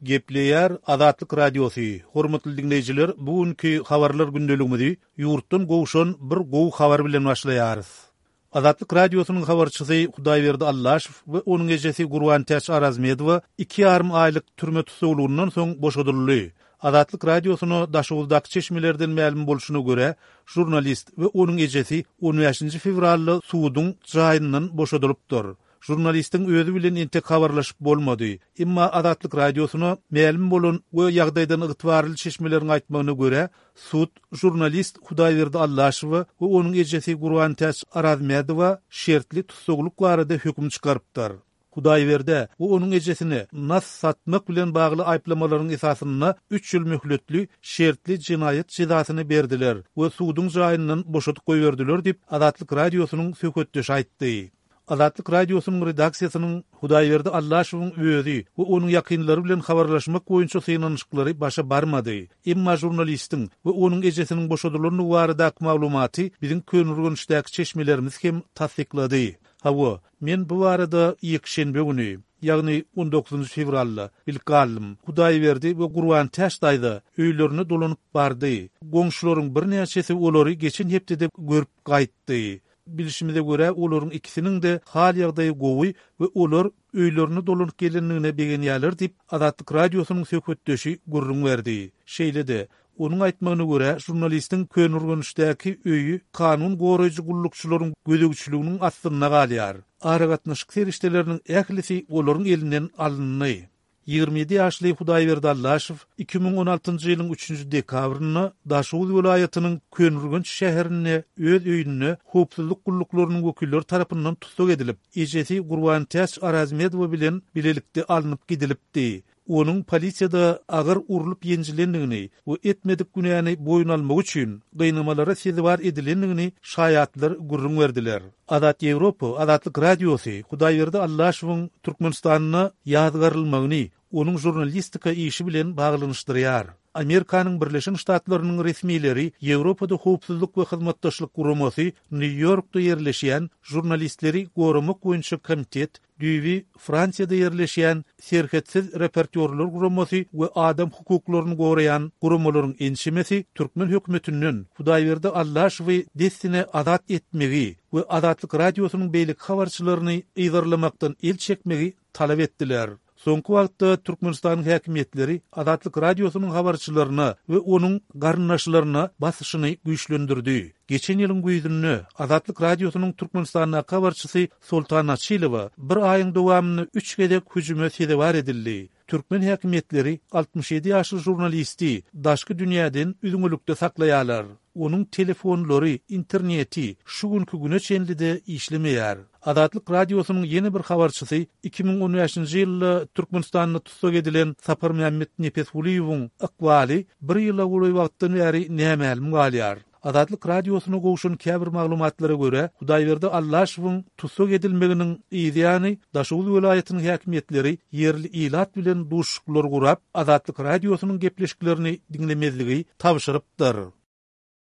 Gepleýär Azatlyk Radiosy, Hormatly diňleýjiler, bu günki habarlar gündeligimizi ýurtdan gowşan bir gowy habar bilen başlaýarys. Azatlyk Radiosynyň habarçysy Hudaýberdi Allaşow we onuň ejesi Gurbantäç Arazmedowa iki ýarym aýlyk türme tussaglygyndan soň boşadyldy. Azatlyk Radiosyna Daşoguzdaky çeşmelerden mälim bolşuna görä, žurnalist we onuň ejesi on bäşinji fewralda suduň jaýyndan boşadylypdyr. Žurnalistiň özi bilen entek habarlaşyp bolmady. Emma Azatlyk Radiosyna mälim bolan we ýagdaýdan ygtybarly çeşmeleriň aýtmagyna görä, sud žurnalist Hudaýberdi Allaşowa we onuň ejesi Gurbantäç Arazmädowa şertli tussaglyk barada höküm çykarypdyr. Hudaýberdä we onuň ejesine nas satmak bilen bagly aýyplamalaryň esasynda üç ýyl möhletli şertli jenaýat jezasyny berdiler we suduň jaýyndan boşadyp goýberdiler diýip, Azatlyk Radiosynyň söhbetdeşi aýtdy. Azatlyk Radiosynyň redaksiýasynyň Hudaýberdi Allaşowyň özi we onuň ýakynlary bilen habarlaşmak boýunça synanyşyklary başa barmady. Emma žurnalistiň we onuň ejesiniň boşadylandygy baradaky maglumaty biziň Köneürgençdäki çeşmelerimiz hem tassyklady. Hawa, men bu barada ýekşenbe güni, ýagny on dokuzynjy fewralda bilip galdym. Hudaýberdi we Gurbantäç daýza öýlerine dolanyp bardy. Goňşularyň birnäçesi olary geçen hepdede görüp gaýtdy. Bilşimize görä, olaryň ikisiniň-de hal-ýagdaýy gowy we olar öýlerine dolanyp gelendigine begenýärler diýip, Azatlyk Radiosynyň söhbetdeşi gürrüň berdi. Şeýle-de, onuň aýtmagyna görä, žurnalistiň Köneürgençdäki öýi kanun goraýjy gullukçylaryň gözegçiliginiň astynda galýar. Aragatnaşyk serişdeleriniň ählisi olaryň elinden alyndy. 27 ýaşly Hudaýberdi Allaşow 2016-njy ýylyň üçünji dekabrynda Daşoguz welaýatynyň Köneürgenç şäherinde öz öýünde howpsuzlyk gulluklarynyň wekilleri tarapyndan tussag edilip, ejesi Gurbantäç Arazmedowa bilen bilelikde alnyp gidilipdi. Onuň polisiýada agyr urlup-ýenjilendigini we etmedik günäni boýun almagy üçin gynamalara sezewar edilendigini şaýatlar gürrüň berdiler. Azat Ýewropa, Azatlyk Radiosy Hudaýberdi Allaşowyň Türkmenistanda ýazgarylmagyny onuň žurnalistika işi bilen baglanyşdyrýar. Amerikanyň Birleşen Ştatlarynyň resmileri Ýewropada Howpsuzlyk we Hyzmatdaşlyk Guramasy Nýu-Ýorkda ýerleşýän Žurnalistleri goramak boýunça komitet Düýbi Fransiýada ýerleşýän Serhetsiz reportýorlar guramasy we adam hukuklaryny goraýan guramalaryň ençemesi türkmen hökümetinden Hudaýberdi Allaşowy dessine azat etmegi we Azatlyk Radiosynyň beýleki habarçylaryny yzarlamakdan el çekmegi talap etdiler. Soňky wagtda Türkmenistanyň häkimiýetleri Azatlyk Radiosynyň habarçylaryna we onuň garyndaşlaryna basyşyny güýçlendirdi. Geçen ýylyň güýzünde Azatlyk Radiosynyň Türkmenistandaky habarçysy Soltan Açylowa bir aýyň dowamynda üç gezek hüjüme sezewar edildi. Türkmen häkimiýetleri 67 ýaşly žurnalisti daşky dünýäden üzňelikde saklaýarlar. Onuň telefonlary, interneti şu günki güne çenli-de işlemeýär. Azatlyk Radiosynyň ýene bir habarçysy 2015-nji ýylda Türkmenistanda tussag edilen Saparmämmet Nepesgulyýewiň ykbaly bir ýyla golaý wagtdan bäri nämälim galýar. Azatlyk Radiosyna gowşan käbir maglumatlara görä, Hudaýberdi Allaşowyň tussag edilmeginiň yz ýany Daşoguz welaýatynyň häkimiýetleri ýerli ilat bilen duşuşyklar gurap, Azatlyk Radiosynyň gepleşiklerini diňlemezligi tabşyrypdyr.